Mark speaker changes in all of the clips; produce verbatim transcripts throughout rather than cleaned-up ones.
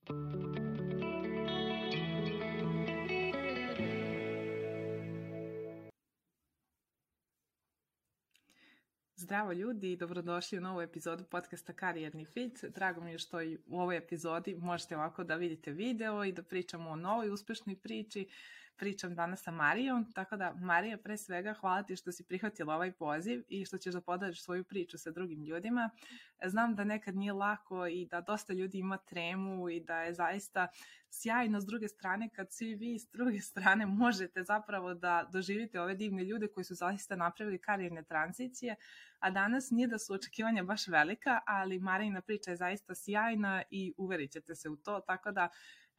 Speaker 1: Zdravo ljudi i dobrodošli u novu epizodu podcasta Karijerni fit. Drago mi je što i u ovoj epizodi možete ovako da vidite video i da pričamo o novoj uspešnoj priči. Pričam danas sa Marijom, tako da Marija, pre svega hvala ti što si prihvatila ovaj poziv i što ćeš da podeliš svoju priču sa drugim ljudima. Znam da nekad nije lako i da dosta ljudi ima tremu i da je zaista sjajno s druge strane kad svi vi s druge strane možete zapravo da doživite ove divne ljude koji su zaista napravili karijerne tranzicije, a danas nije da su očekivanja baš velika, ali Marijina priča je zaista sjajna i uverit ćete se u to, tako da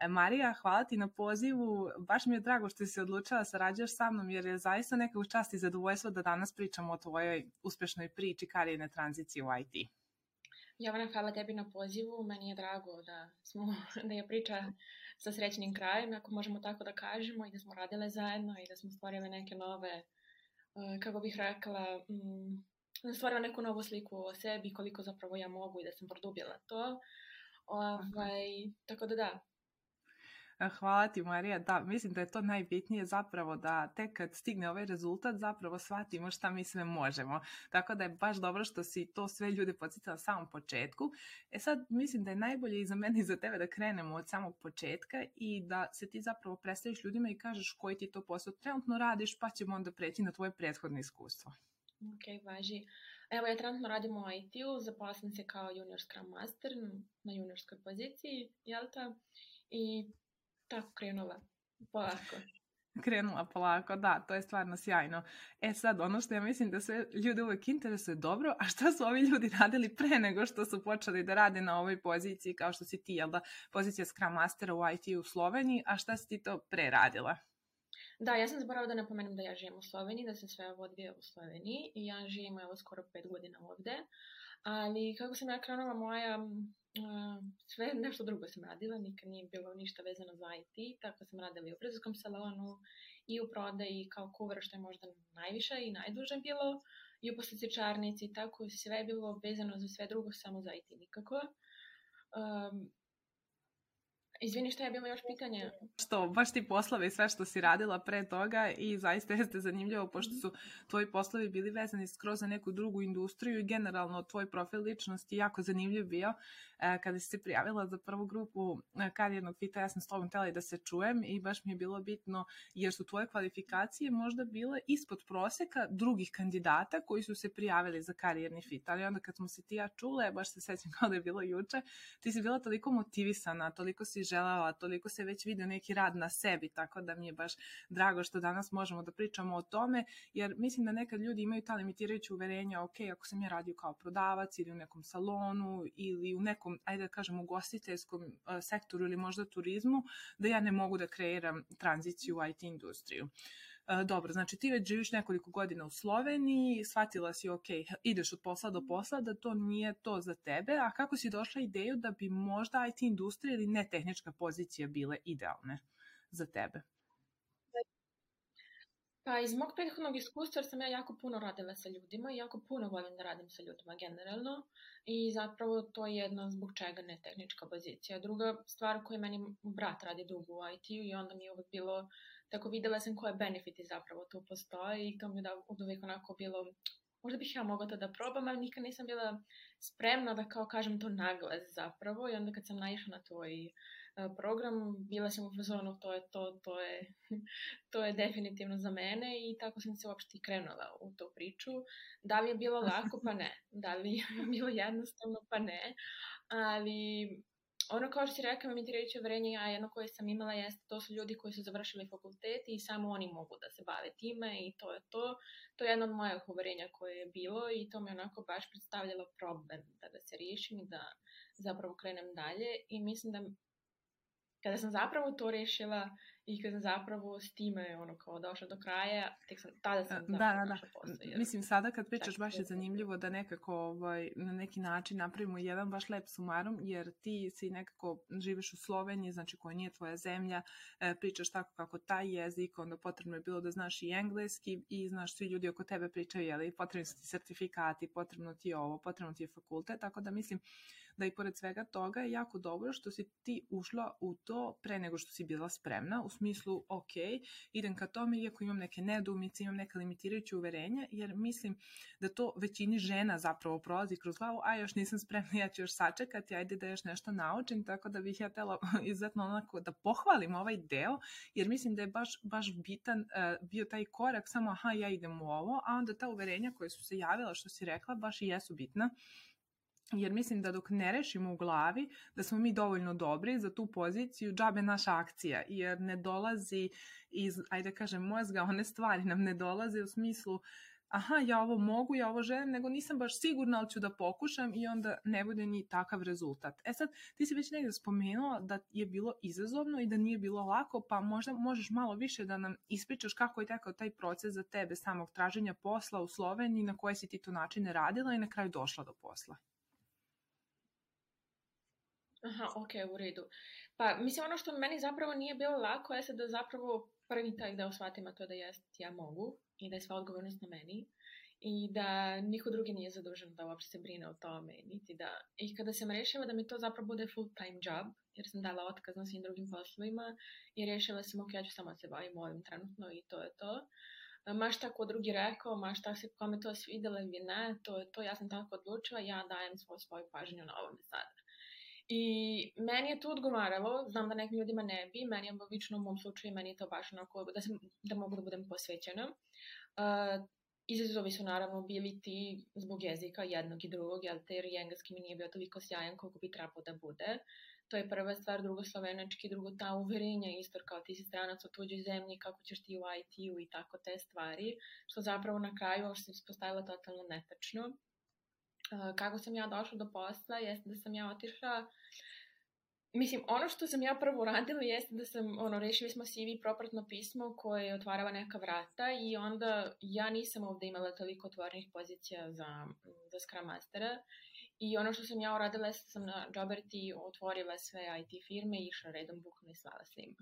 Speaker 1: Marija, hvala ti na pozivu, baš mi je drago što si se odlučila da sarađuješ sa mnom jer je zaista neka čast i zadovoljstvo da danas pričamo o tvojoj uspešnoj priči karijerne tranzicije u I T.
Speaker 2: Jovana, hvala tebi na pozivu, meni je drago da, smo, da je priča sa srećnim krajem, ako možemo tako da kažemo, i da smo radile zajedno i da smo stvorile neke nove, kako bih rekla, stvorila neku novu sliku o sebi, koliko zapravo ja mogu i da sam produbila to. Ovaj, tako da da.
Speaker 1: Hvala ti, Marija. Da, mislim da je to najbitnije zapravo da tek kad stigne ovaj rezultat zapravo shvatimo šta mi sve možemo. Tako da je baš dobro što si to sve ljude podsjetila na samom početku. E sad mislim da je najbolje i za mene i za tebe da krenemo od samog početka i da se ti zapravo predstaviš ljudima i kažeš koji ti to posao trenutno radiš, pa ćemo onda preći na tvoje prethodno iskustvo.
Speaker 2: Ok, važi. Evo, ja trenutno radim u I T-u, zaposlim se kao junior Scrum Master na juniorskoj poziciji, jel ta? I tako krenula, polako.
Speaker 1: Krenula polako, da, to je stvarno sjajno. E sad, ono što ja mislim da sve ljude uvek interesuje dobro, a šta su ovi ljudi radili pre nego što su počeli da rade na ovoj poziciji, kao što si ti, jel da, pozicija Scrum Mastera u I T u Sloveniji, a šta si ti to pre radila?
Speaker 2: Da, ja sam zaboravila da napomenem da ja živim u Sloveniji, da se sve ovo odvija u Sloveniji i ja živim evo skoro pet godina ovde, ali kako sam ja krenula moja, uh, sve nešto drugo sam radila, nikad nije bilo ništa vezano za I T, tako sam radila i u frizerskom salonu i u prodaji kao kuvar, što je možda najviše i najduže bilo, i u poslastičarnici, tako sve je bilo vezano za sve drugo, samo za I T nikako. Um, Izvini, šta je bilo još pitanje?
Speaker 1: Što, baš ti poslovi i sve što si radila pre toga i zaista jeste zanimljivo pošto su tvoji poslovi bili vezani skroz za neku drugu industriju i generalno tvoj profil ličnosti jako zanimljiv bio. E, kada si se prijavila za prvu grupu karijernog fita, ja sam s tobom htjela i da se čujem i baš mi je bilo bitno jer su tvoje kvalifikacije možda bile ispod proseka drugih kandidata koji su se prijavili za karijerni fit. Ali onda kad smo se ti ja čule, baš se sećam kao da je bilo juče, ti si bila toliko motivisana, toliko si želela, toliko se već vidio neki rad na sebi, tako da mi je baš drago što danas možemo da pričamo o tome, jer mislim da nekad ljudi imaju ta limitirajuća uverenja, ok, ako sam ja radio kao prodavac ili u nekom salonu ili u nekom, ajde da kažem, ugostiteljskom uh, sektoru ili možda turizmu, da ja ne mogu da kreiram tranziciju u I T industriju. Uh, dobro, znači ti već živiš nekoliko godina u Sloveniji, shvatila si, ok, ideš od posla do posla, da to nije to za tebe, a kako si došla ideju da bi možda I T industrija ili ne tehnička pozicija bile idealne za tebe?
Speaker 2: Pa iz mog prethodnog iskustva sam ja jako puno radila sa ljudima i jako puno volim da radim sa ljudima generalno i zapravo to je jedna zbog čega ne tehnička pozicija. Druga stvar koju meni brat radi dugo u I T-u i onda mi je uvek bilo, tako videla sam koje benefiti zapravo tu postoje i to mi je da uvek onako bilo, možda bih ja mogla to da probam, ali nikad nisam bila spremna da kao kažem to naglas zapravo i onda kad sam naišla na tvoj program, bila sam u fazonu, to je to, to je, to je definitivno za mene i tako sam se uopšte i krenula u tu priču. Da li je bilo lako? Pa ne. Da li je bilo jednostavno? Pa ne. Ali ono kao što si rekao, limitirajuće uverenje, ja jedno koje sam imala jeste, to su ljudi koji su završili fakultet i samo oni mogu da se bave time i to je to. To je jedno od mojih uverenja koje je bilo i to mi onako baš predstavljalo problem da ga se riješim i da zapravo krenem dalje i mislim da Kada sam zapravo to rešila i kada sam zapravo s time ono kao došla do kraja, tek sam, tada sam
Speaker 1: da,
Speaker 2: zapravo
Speaker 1: da,
Speaker 2: našla posao.
Speaker 1: Jer... Mislim, sada kad pričaš baš je zanimljivo da nekako ovaj, na neki način napravimo jedan baš lep sumarum, jer ti si nekako živiš u Sloveniji, znači koja nije tvoja zemlja, e, pričaš tako kako taj jezik, onda potrebno je bilo da znaš i engleski i znaš svi ljudi oko tebe pričaju, jeli, potrebni su ti sertifikati, potrebno ti je ovo, potrebno ti je fakultet, tako da mislim da i pored svega toga je jako dobro što si ti ušla u to pre nego što si bila spremna, u smislu, ok, idem ka tome, iako imam neke nedoumice, imam neke limitirajuće uverenja, jer mislim da to većini žena zapravo prolazi kroz glavu, a još nisam spremna, ja ću još sačekati, ajde da još nešto naučim, tako da bih ja tela izuzetno onako da pohvalim ovaj deo, jer mislim da je baš, baš bitan uh, bio taj korak, samo aha, ja idem u ovo, a onda ta uverenja koje su se javila, što si rekla, baš i jesu bitna. Jer mislim da dok ne rešimo u glavi da smo mi dovoljno dobri za tu poziciju, džabe naša akcija, jer ne dolazi iz, ajde kažem, mozga, one stvari nam ne dolaze u smislu aha, ja ovo mogu, ja ovo želim, nego nisam baš sigurna, ali ću da pokušam i onda ne bude ni takav rezultat. E sad, ti si već negdje spomenula da je bilo izazovno i da nije bilo lako, pa možda možeš malo više da nam ispričaš kako je tekao taj proces za tebe samog traženja posla u Sloveniji, na koje si ti to načine radila i na kraju došla do posla.
Speaker 2: Aha, ok, u redu. Pa, mislim, ono što meni zapravo nije bilo lako je da zapravo prvi taj deo shvatim, a to da jest ja mogu i da je sva odgovornost na meni i da niko drugi nije zadužen da uopšte se brine o tome, niti da... I kada sam rešila da mi to zapravo bude full time job, jer sam dala otkaz na svim drugim poslovima i rešila sam, ok, ja ću samo se bavim ovim trenutno i to je to. Ma šta ko drugi rekao, ma šta se kome to svidjelo ili ne, to je to, ja sam tako odlučila, ja dajem svoju, svoju pažnju na ovome sada. I meni je to odgovaralo, znam da nekim ljudima ne bi, meni je obično u mom slučaju, meni je to baš onako da, sam, da mogu da budem posvećena. Uh, izazovi su naravno bili ti zbog jezika jednog i drugog, jer te engleski mi nije bio toliko sjajan koliko bi trebao da bude. To je prva stvar, drugo slovenački, drugo ta uverenja, isto kao ti si stranac u tuđoj zemlji, kako ćeš ti u I T-u i tako te stvari, što zapravo na kraju se ispostavilo totalno netačno. Uh, kako sam ja došla do posla, jeste da sam ja otišla, mislim, ono što sam ja prvo uradila jeste da sam, ono, rešili smo C V propratno pismo koje otvarava neka vrata i onda ja nisam ovde imala toliko otvorenih pozicija za, za Scrum Mastera i ono što sam ja uradila jeste da sam na Joberti otvorila sve I T firme i išla redom bukvalno i slala svima.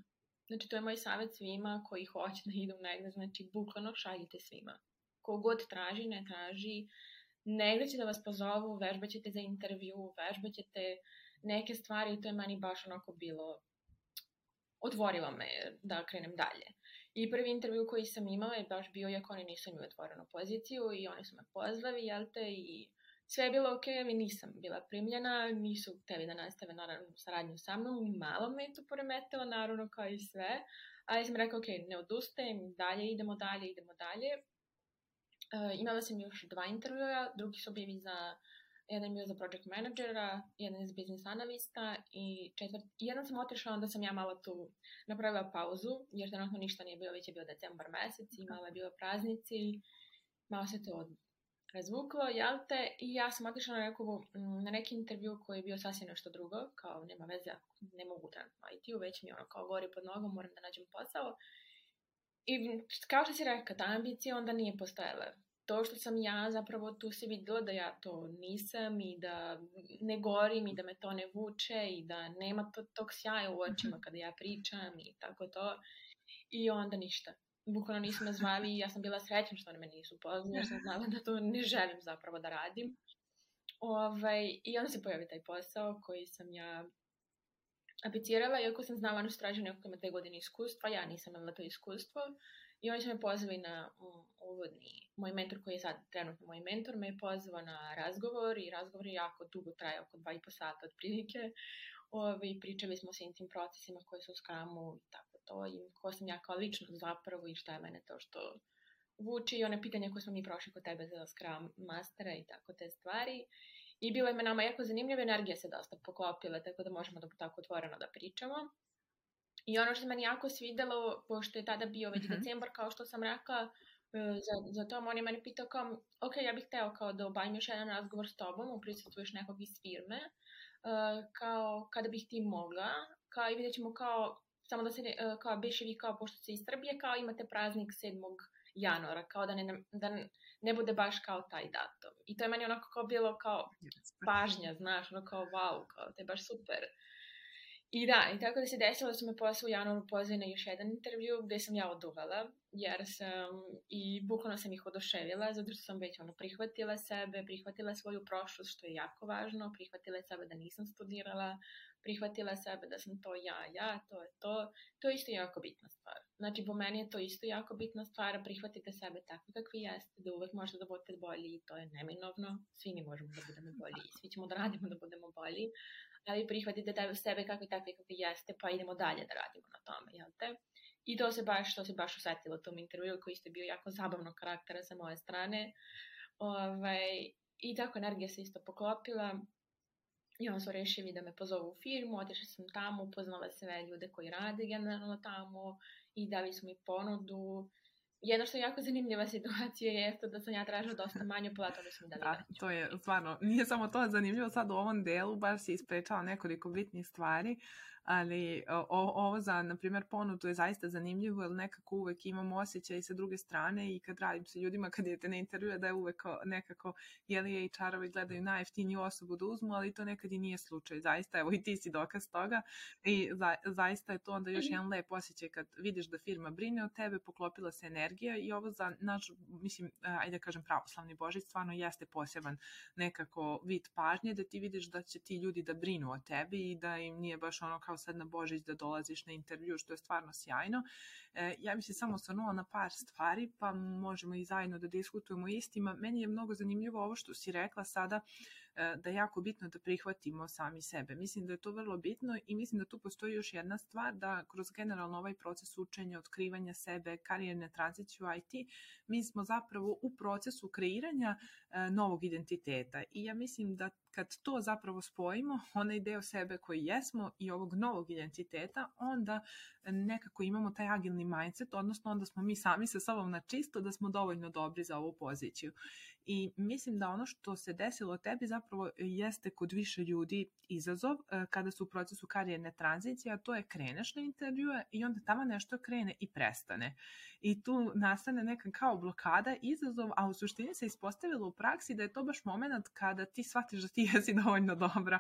Speaker 2: Znači, to je moj savjet svima koji hoće da idu negde, znači, bukvalno šaljite svima. Kogod traži, ne traži, negde će da vas pozovu, vežbaćete za intervju, vežbaćete neke stvari i to je meni baš onako bilo, otvorilo me da krenem dalje. I prvi intervju koji sam imala je baš bio, iako oni nisu imali otvorenu poziciju i oni su me pozvali, jel te, i sve je bilo ok, ali nisam bila primljena, nisu hteli da nastave naravno saradnju sa mnom, malo me je to poremetilo, naravno kao i sve, ali sam rekao, ok, ne odustajem, dalje, idemo dalje, idemo dalje. Uh, imala sam još dva intervjua, drugi su bili za, jedan bio za project managera, jedan za business analista i četvrt, jedan sam otišla, onda sam ja malo tu napravila pauzu, jer trenutno ništa nije bilo, već je bio decembar mesec i malo je bilo praznici, malo se to razvuklo, jel te, i ja sam otišla na, neku, na neki intervju koji je bio sasvim nešto drugo, kao nema veze, ne mogu trenutno I T-u, već mi ono kao gori pod nogom, moram da nađem posao. I kao što si rekao, ta ambicija onda nije postojala. To što sam ja zapravo tu se videla da ja to nisam i da ne gorim i da me to ne vuče i da nema to, tog sjaja u očima kada ja pričam i tako to. I onda ništa. Bukvalno nisu me zvali i ja sam bila srećna što oni me nisu pozvali jer sam znala da to ne želim zapravo da radim. Ovaj, I onda se pojavi taj posao koji sam ja aplicirala, iako sam znala nešto tražio neko ima dve godine iskustva, ja nisam imala to iskustvo i oni su me pozvali na um, uvodni, moj mentor koji je sad trenutno moj mentor me je pozvao na razgovor i razgovor je jako dugo trajao, oko dva i po sata otprilike. Ovi, pričali smo o svim tim procesima koji su u Scrumu i tako to i ko sam ja kao lično zapravo i šta je mene to što vuči i one pitanja koje smo mi prošli kod tebe za Scrum Mastera i tako te stvari. I bilo je me nama jako zanimljiva, energija se dosta poklopila, tako da možemo da tako otvoreno da pričamo. I ono što se meni jako svidelo, pošto je tada bio već mm-hmm. decembar, kao što sam rekla, za, za tom on je meni pitao kao, ok, ja bih hteo kao da obavim još jedan razgovor s tobom, u prisustvu još nekog iz firme, uh, kao kada bih ti mogla, kao i vidjet ćemo kao, samo da se ne, uh, kao beše vi kao pošto se iz Srbije, kao imate praznik sedmog januara, kao da ne, da ne bude baš kao taj datum. I to je meni onako kao bilo kao pažnja, znaš, ono kao wow, kao to je baš super. I da, i tako da se desilo da su me posle u januaru pozvali na još jedan intervju gde sam ja oduvala, jer sam i bukvalno sam ih oduševila, zato što sam već ono prihvatila sebe, prihvatila svoju prošlost, što je jako važno, prihvatila sebe da nisam studirala, prihvatila sebe da sam to ja, ja, to je to. To je isto jako bitna stvar. Znači, po meni je to isto jako bitna stvar, prihvatite sebe takvi kakvi jeste, da uvek možete da budete bolji i to je neminovno. Svi mi možemo da budemo bolji i svi ćemo da radimo da budemo bolji, ali prihvatite da sebe kakvi takvi kakvi jeste, pa idemo dalje da radimo na tome, jel te? I to se baš, to se baš osetilo u tom intervju koji isto bio jako zabavnog karaktera sa moje strane. Ovaj, I tako energija se isto poklopila. I onda su rešili da me pozovu u firmu, otišla sam tamo, upoznala sve ljude koji rade generalno tamo i dali su mi ponudu. Jedno što je jako zanimljiva situacija je da sam ja tražila dosta manju platu, da su mi dali
Speaker 1: da,
Speaker 2: veću.
Speaker 1: to je stvarno, nije samo to zanimljivo sad u ovom delu, baš si isprečala nekoliko bitnih stvari, ali o, ovo za, na primjer, ponudu je zaista zanimljivo, jer nekako uvek imam osjećaj sa druge strane i kad radim sa ljudima, kad idete na intervju, da je uvek nekako, jeli H R-ovi gledaju najjeftiniju osobu da uzmu, ali to nekad i nije slučaj, zaista, evo i ti si dokaz toga i za, zaista je to onda još jedan lep osjećaj kad vidiš da firma brine o tebe, poklopila se energija i ovo za naš, mislim, ajde da kažem pravoslavni Božić, stvarno jeste poseban nekako vid pažnje, da ti vidiš da će ti ljudi da brinu o tebi i da im nije baš ono kao sad na Božić da dolaziš na intervju, što je stvarno sjajno. E, ja bih se samo osvrnula na par stvari, pa možemo i zajedno da diskutujemo istima. Meni je mnogo zanimljivo ovo što si rekla sada, e, da je jako bitno da prihvatimo sami sebe. Mislim da je to vrlo bitno i mislim da tu postoji još jedna stvar, da kroz generalno ovaj proces učenja, otkrivanja sebe, karijerne tranzicije u I T, mi smo zapravo u procesu kreiranja e, novog identiteta. I ja mislim da kad to zapravo spojimo, onaj deo sebe koji jesmo i ovog novog identiteta, onda nekako imamo taj agilni mindset, odnosno onda smo mi sami sa sobom na čisto da smo dovoljno dobri za ovu poziciju. I mislim da ono što se desilo tebi zapravo jeste kod više ljudi izazov kada su u procesu karijerne tranzicije, a to je kreneš na intervjue i onda tamo nešto krene i prestane. I tu nastane neka kao blokada, izazov, a u suštini se ispostavilo u praksi da je to baš moment kada ti shvatiš da ti jesi dovoljno dobra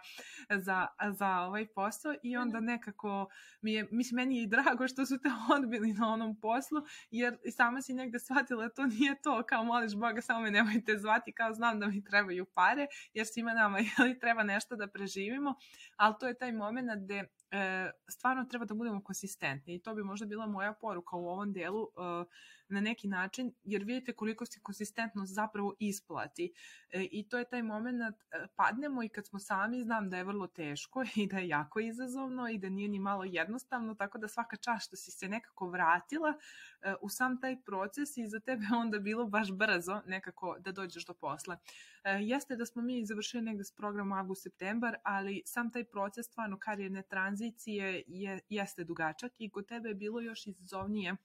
Speaker 1: za, za ovaj posao i onda nekako mi je, mislim, meni je i drago što su te odbili na onom poslu, jer sama si negde shvatila da to nije to, kao moliš Boga, samo me nemojte zvati, kao znam da mi trebaju pare, jer svima nama jeli, treba nešto da preživimo, ali to je taj moment gde e, stvarno treba da budemo konsistentni i to bi možda bila moja poruka u ovom delu e, na neki način, jer vidite koliko se konsistentnost zapravo isplati e, i to je taj moment e, padnemo i kad smo sami, znam da je vrlo teško i da je jako izazovno i da nije ni malo jednostavno, tako da svaka čast što si se nekako vratila e, u sam taj proces i za tebe onda bilo baš brzo nekako da dođeš do posla. E, jeste da smo mi završili negde s programom avgust-septembar, ali sam taj proces stvarno karijerne tranzicije je, jeste dugačak i kod tebe je bilo još izazovnije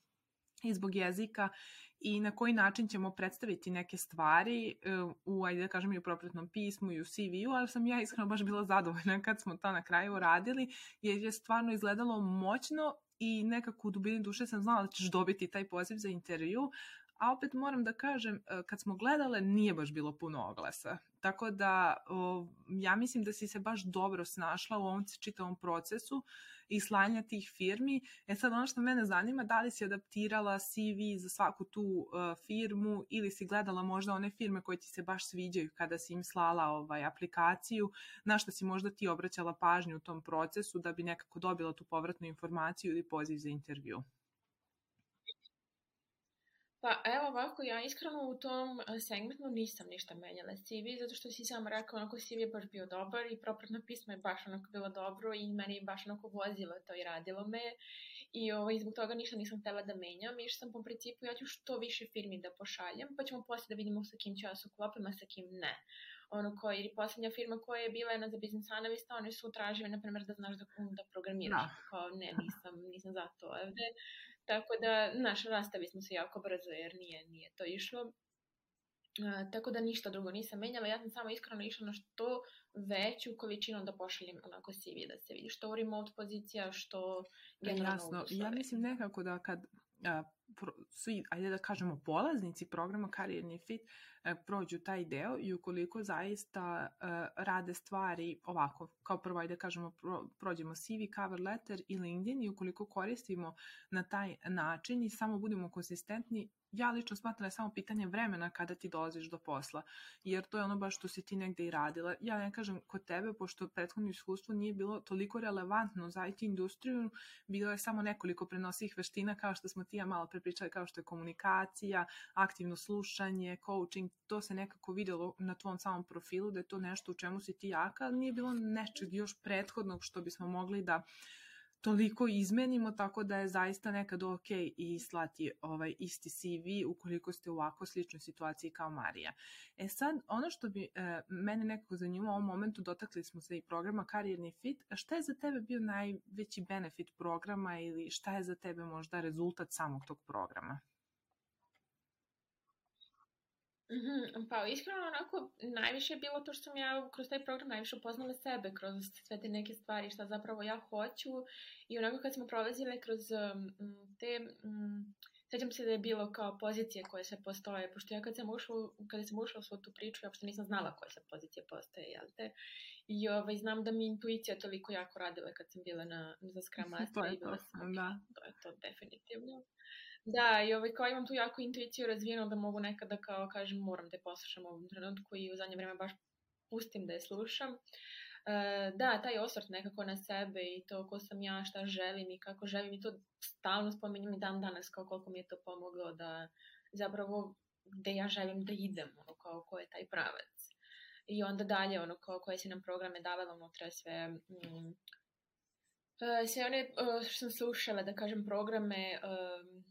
Speaker 1: i zbog jezika i na koji način ćemo predstaviti neke stvari u, ajde da kažem, i u propratnom pismu i u C V-u, ali sam ja iskreno baš bila zadovoljna kad smo to na kraju radili, jer je stvarno izgledalo moćno i nekako u dubini duše sam znala da ćeš dobiti taj poziv za intervju, a opet moram da kažem, kad smo gledale, nije baš bilo puno oglasa. Tako da ja mislim da si se baš dobro snašla u ovom čitavom procesu i slanja tih firmi. E sad ono što mene zanima, da li si adaptirala C V za svaku tu uh, firmu ili si gledala možda one firme koje ti se baš sviđaju kada si im slala ovaj, aplikaciju, na što si možda ti obraćala pažnju u tom procesu da bi nekako dobila tu povratnu informaciju ili poziv za intervju?
Speaker 2: Pa evo ovako, ja iskreno u tom segmentu nisam ništa menjala C V, zato što si sam rekao, onako C V je baš bio dobar i propratno pismo je baš onako bilo dobro i meni je baš onako vozilo to i radilo me i ovaj, zbog toga ništa nisam htela da menjam i što sam po principu ja ću što više firmi da pošaljem, pa ćemo posle da vidimo sa kim ću ja se uklopim, a sa kim ne. Ono koji, jer poslednja firma koja je bila jedna za business analista, oni su tražili, na primjer, da znaš da, da programiraš, no. Kao ne, nisam, nisam za to ovde. Tako da, znaš, rastavi smo se jako brzo jer nije, nije to išlo. Uh, tako da ništa drugo nisam menjala, ja sam samo iskreno išla na što veću količinu da pošaljem onako C V da se vidi, što remote pozicija, što generalno
Speaker 1: Jasno, ja mislim nekako da kad a, pro, svi, ajde da kažemo, polaznici programa Karijerni fit a, prođu taj deo i ukoliko zaista a, rade stvari ovako, kao prvo, ajde da kažemo, pro, prođemo C V, cover letter i LinkedIn i ukoliko koristimo na taj način i samo budemo konsistentni, ja lično smatram da je samo pitanje vremena kada ti dolaziš do posla, jer to je ono baš što si ti negde i radila. Ja ne kažem kod tebe, pošto prethodno iskustvo nije bilo toliko relevantno za I T industriju, bilo je samo nekoliko prenosivih veština, kao što smo ti ja malo prepričali, kao što je komunikacija, aktivno slušanje, coaching, to se nekako videlo na tvom samom profilu, da je to nešto u čemu si ti jaka, ali nije bilo nečeg još prethodnog što bismo mogli da toliko izmenimo, tako da je zaista nekad ok i slati ovaj isti C V ukoliko ste u ovako sličnoj situaciji kao Marija. E sad, ono što bi e, mene nekako zanimalo u ovom momentu, dotakli smo se i programa Karijerni fit, šta je za tebe bio najveći benefit programa ili šta je za tebe možda rezultat samog tog programa?
Speaker 2: Mm-hmm. Pa iskreno onako najviše je bilo to što sam ja kroz taj program najviše upoznala sebe, kroz sve te neke stvari šta zapravo ja hoću i onako kad smo prolazile kroz um, te, um, sjećam se da je bilo kao pozicije koje se postoje, pošto ja kad sam ušla, kada sam ušla u svu tu priču, ja uopšte nisam znala koje se pozicije postoje, jel te? I ovaj, znam da mi intuicija toliko jako radila kad sam bila na, za Scrum Master i bila sam,
Speaker 1: da.
Speaker 2: To je to definitivno. Da, i ovaj, kao imam tu jako intuiciju razvijenu da mogu nekada kao kažem moram da je poslušam u ovom trenutku i u zadnje vreme baš pustim da je slušam. E, da, taj osvrt nekako na sebe i to ko sam ja, šta želim i kako želim i to stalno spominjem i dan danas kao koliko mi je to pomoglo da zapravo gde ja želim da idem, ono kao ko je taj pravac. I onda dalje ono kao koje si nam programe davala unutra sve... Mm, sve one što sam slušala, da kažem, programe um,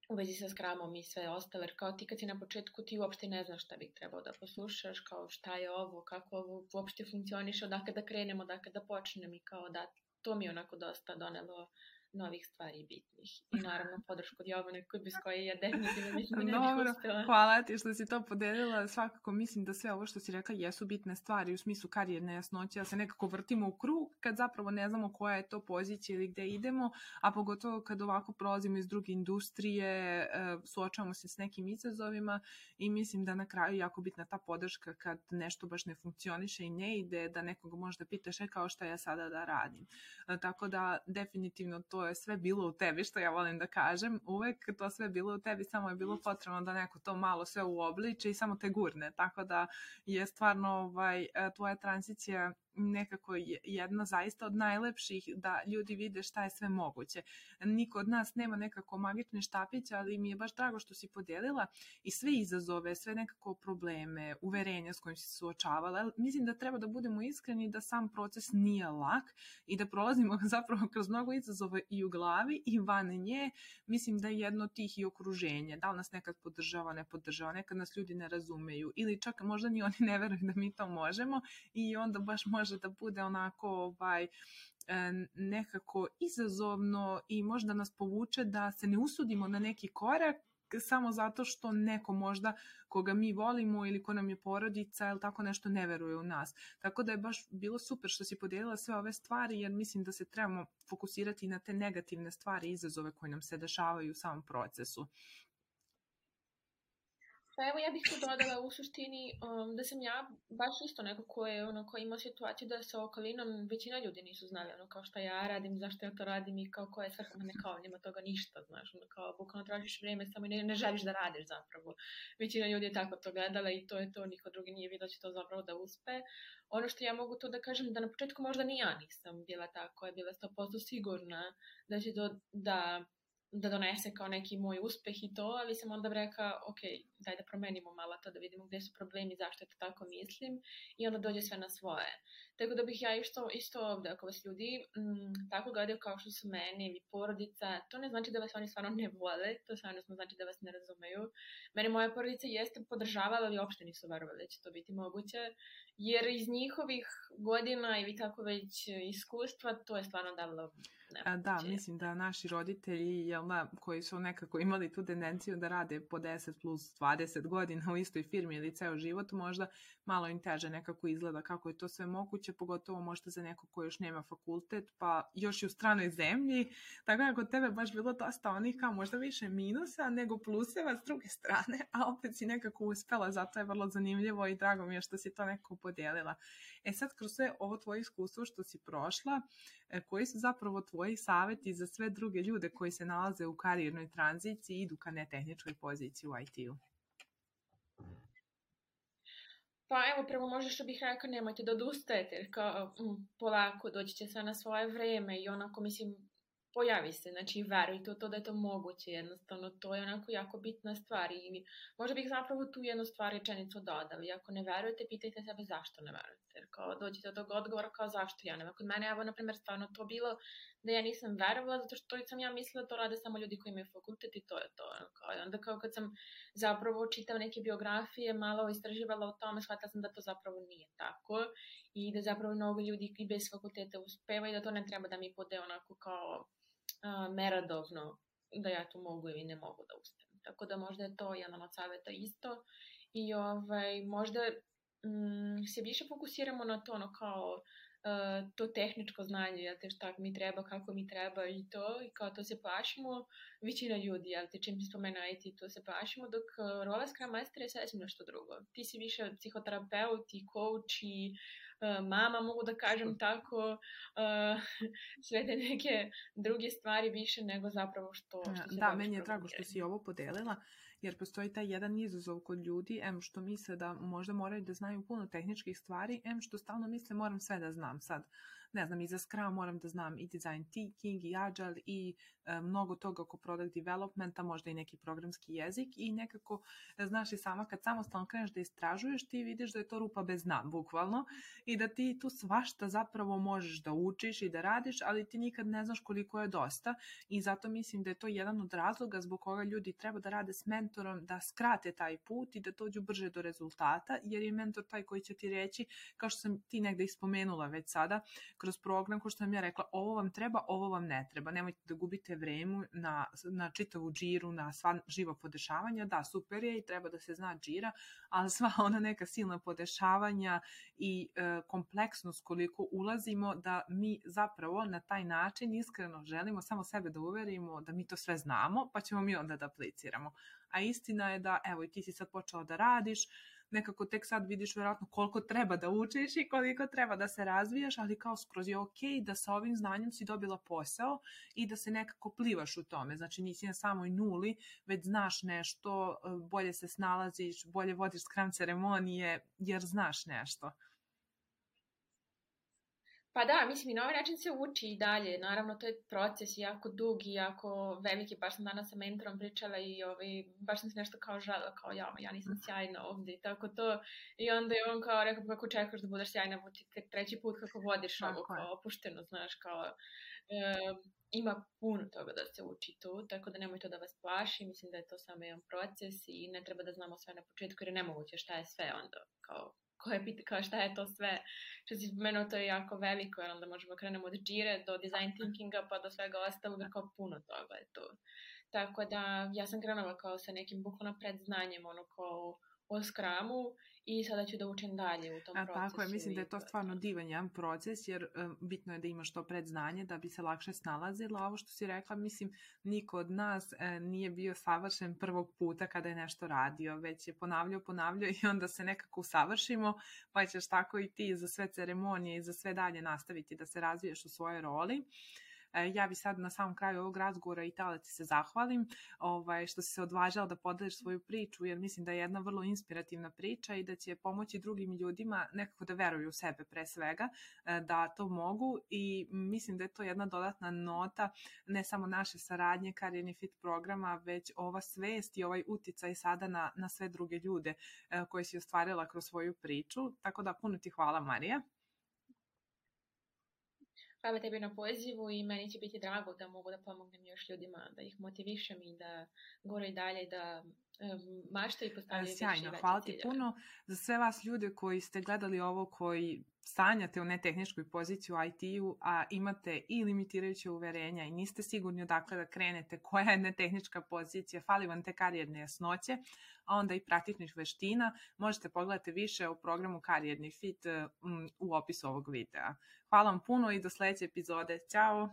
Speaker 2: u vezi sa Scrumom i sve ostale, jer kao ti kad si na početku ti uopšte ne znaš šta bih trebao da poslušaš, kao šta je ovo, kako ovo uopšte funkcioniše, odakle da krenemo, odakle da počnem i kao da to mi je onako dosta donelo novih stvari bitnih. I naravno podršku od Jovane, bez koje ja definitivno mislim da ne bih uspela.
Speaker 1: Hvala ti što si to podelila. Svakako mislim da sve ovo što si rekla jesu bitne stvari u smislu karijerne jasnoće, da se nekako vrtimo u krug kad zapravo ne znamo koja je to pozicija ili gde idemo, a pogotovo kad ovako prolazimo iz druge industrije, suočavamo se s nekim izazovima i mislim da na kraju jako bitna ta podrška kad nešto baš ne funkcioniše i ne ide, da nekoga možda pitaš e kao šta ja sada da radim. Tako da definitivno to je sve bilo u tebi, što ja volim da kažem, uvek to sve bilo u tebi, samo je bilo potrebno da neko to malo sve uobliče i samo te gurne, tako da je stvarno ovaj, tvoja tranzicija nekako jedna zaista od najlepših da ljudi vide šta je sve moguće. Niko od nas nema nekako magične štapiće, ali mi je baš drago što si podelila i sve izazove, sve nekako probleme, uverenja s kojim si se suočavala. Mislim da treba da budemo iskreni da sam proces nije lak i da prolazimo zapravo kroz mnogo izazova i u glavi i van nje. Mislim da je jedno od tih i okruženje. Da li nas nekad podržava, ne podržava, nekad nas ljudi ne razumeju ili čak možda ni oni ne veruju da mi to možemo i onda baš može da bude onako ovaj, nekako izazovno i možda nas povuče da se ne usudimo na neki korak samo zato što neko možda koga mi volimo ili ko nam je porodica ili tako nešto ne veruje u nas. Tako da je baš bilo super što si podijelila sve ove stvari jer mislim da se trebamo fokusirati na te negativne stvari i izazove koje nam se dešavaju u samom procesu.
Speaker 2: Pa evo ja bih tu dodala u suštini um, da sam ja baš isto neko ko je ono, ko ima situaciju da sa okolinom većina ljudi nisu znali ono kao šta ja radim, zašto ja to radim i kao ko je svrha, ne kao nema toga ništa, znaš, ono kao bukvalno tražiš vrijeme samo i ne, ne želiš da radiš zapravo. Većina ljudi je tako to gledala i to je to, niko drugi nije vidio da će to zapravo da uspe. Ono što ja mogu to da kažem da na početku možda ni ja nisam bila tako, je bila sto posto sigurna da će to da da donese kao neki moj uspeh i to, ali sam onda rekla, ok, daj da promenimo malo to, da vidimo gdje su problemi, zašto to tako mislim i onda dođe sve na svoje. Tako da bih ja isto, isto ovdje, ako vas ljudi m, tako gledaju kao što su meni ili porodica, to ne znači da vas oni stvarno ne vole, to stvarno znači da vas ne razumeju. Mene moja porodica jeste podržavala, ali uopšte nisu verovali da će to biti moguće, jer iz njihovih godina ili tako već iskustva, to je stvarno davalo.
Speaker 1: Da, mislim da naši roditelji jel da, koji su nekako imali tu tendenciju da rade po deset plus dvadeset godina u istoj firmi ili ceo život, možda malo im teže nekako izgleda kako je to sve moguće, pogotovo možda za neko ko još nema fakultet, pa još i u stranoj zemlji, tako da kod tebe baš bilo dosta onih kao možda više minusa nego pluseva s druge strane, a opet si nekako uspela, zato je vrlo zanimljivo i drago mi je što si to nekako podijelila. E sad, kroz sve ovo tvoje iskustvo što si prošla, koji su zapravo tvoji savjeti za sve druge ljude koji se nalaze u karijernoj tranziciji i idu ka netehničkoj poziciji u I T-u?
Speaker 2: Pa evo, prvo možda što bih rekao, nemojte da odustajete, jer kao m, polako doći će sve na svoje vreme i onako, mislim, pojavi se, znači verujte u to da je to moguće, jednostavno to je onako jako bitna stvar i možda bih zapravo tu jednu stvar rečenicu dodala, i ako ne verujete, pitajte sebe zašto ne verujete, jer kao dođete do tog odgovora kao zašto ja ne. Kod mene, evo, na primjer, stvarno to bilo da ja nisam verovala, zato što sam ja mislila da to rade samo ljudi koji imaju fakultet i to je to. Kao, i onda kao kad sam zapravo čitala neke biografije, malo istraživala o tome, shvatila sam da to zapravo nije tako i da zapravo mnogo ljudi i bez fakulteta uspeva i da to ne treba da mi bude onako kao Uh, meradovno da ja tu mogu ili ne mogu da uspem. Tako da možda je to jedan od savjeta isto i ovaj, možda mm, se više fokusiramo na to ono kao uh, to tehničko znanje, jel te šta mi treba, kako mi treba i to i kao to se plašimo, većina ljudi, jel te čim se spomene I T, to se plašimo, dok uh, rola Scrum Master je sasvim nešto drugo. Ti si više psihoterapeut i coach i mama, mogu da kažem tako, uh, sve te neke druge stvari više nego zapravo što, što se
Speaker 1: da, meni je drago što si ovo podelila, jer postoji taj jedan izazov kod ljudi, em što misle da možda moraju da znaju puno tehničkih stvari, em što stalno misle moram sve da znam sad. Ne znam, i za Scrum moram da znam i design thinking, i agile, i e, mnogo toga oko product developmenta, možda i neki programski jezik i nekako, znaš i sama, kad samostalno kreneš da istražuješ, ti vidiš da je to rupa bez dna, bukvalno, i da ti tu svašta zapravo možeš da učiš i da radiš, ali ti nikad ne znaš koliko je dosta i zato mislim da je to jedan od razloga zbog koga ljudi treba da rade s mentorom, da skrate taj put i da dođu brže do rezultata, jer je mentor taj koji će ti reći, kao što sam ti negde ispomenula već sada, kroz program, ko što sam ja rekla, ovo vam treba, ovo vam ne treba. Nemojte da gubite vreme na, na čitavu džiru, na sva živa podešavanja. Da, super je i treba da se zna džira, ali sva ona neka silna podešavanja i e, kompleksnost koliko ulazimo da mi zapravo na taj način iskreno želimo samo sebe da uverimo da mi to sve znamo, pa ćemo mi onda da apliciramo. A istina je da, evo, i ti si sad počela da radiš, nekako tek sad vidiš vjerojatno koliko treba da učiš i koliko treba da se razvijaš, ali kao skroz je ok da sa ovim znanjem si dobila posao i da se nekako plivaš u tome. Znači nisi na samoj nuli, već znaš nešto, bolje se snalaziš, bolje vodiš Scrum ceremonije jer znaš nešto.
Speaker 2: Pa da, mislim i na ovaj način se uči i dalje. Naravno, to je proces jako dug i jako veliki. Baš sam danas sa mentorom pričala i ovaj, baš sam se nešto kao žala, kao ja, ja nisam sjajna ovdje i tako to. I onda je on kao rekao, kako čekaš da budeš sjajna, tek treći put kako vodiš ovo kao opušteno, znaš, kao... E, ima puno toga da se uči tu, tako da nemoj to da vas plaši. Mislim da je to samo jedan proces i ne treba da znamo sve na početku jer je nemoguće šta je sve onda, kao... koje pita kao šta je to sve, što si spomenuo, to je jako veliko, jer onda možemo krenemo od džire do design thinkinga pa do svega ostalog, jer kao puno toga je tu. Tako da ja sam krenula kao sa nekim bukvalno predznanjem, ono kao o Scrumu i sada ću da učim dalje u tom
Speaker 1: A,
Speaker 2: procesu.
Speaker 1: Tako je, mislim da je to stvarno divan jedan proces, jer um, bitno je da imaš to predznanje da bi se lakše snalazila. Ovo što si rekla, mislim, niko od nas e, nije bio savršen prvog puta kada je nešto radio, već je ponavljao, ponavljao i onda se nekako usavršimo, pa ćeš tako i ti za sve ceremonije i za sve dalje nastaviti da se razviješ u svojoj roli. Ja bi sad na samom kraju ovog razgovora i tala ti se zahvalim ovaj, što si se odvažala da podeliš svoju priču, jer mislim da je jedna vrlo inspirativna priča i da će pomoći drugim ljudima nekako da veruju u sebe pre svega, da to mogu i mislim da je to jedna dodatna nota ne samo naše saradnje Career Fit programa, već ova svest i ovaj uticaj sada na, na sve druge ljude koje si ostvarila kroz svoju priču. Tako da puno ti hvala, Marija.
Speaker 2: Hvala tebi na pozivu i meni će biti drago da mogu da pomognem još ljudima, da ih motivišem i da gore i dalje, da um, maštaju i postavljaju veće i veće ciljeve.
Speaker 1: Hvala ti puno za sve vas ljude koji ste gledali ovo, koji sanjate o netehničkoj poziciji u I T-u, a imate i limitirajuće uverenja i niste sigurni odakle da krenete, koja je netehnička pozicija, fali vam te karijerne jasnoće, a onda i praktičnih veština, možete pogledati više o programu Karijerni fit u opisu ovog videa. Hvala vam puno i do sledeće epizode. Ćao!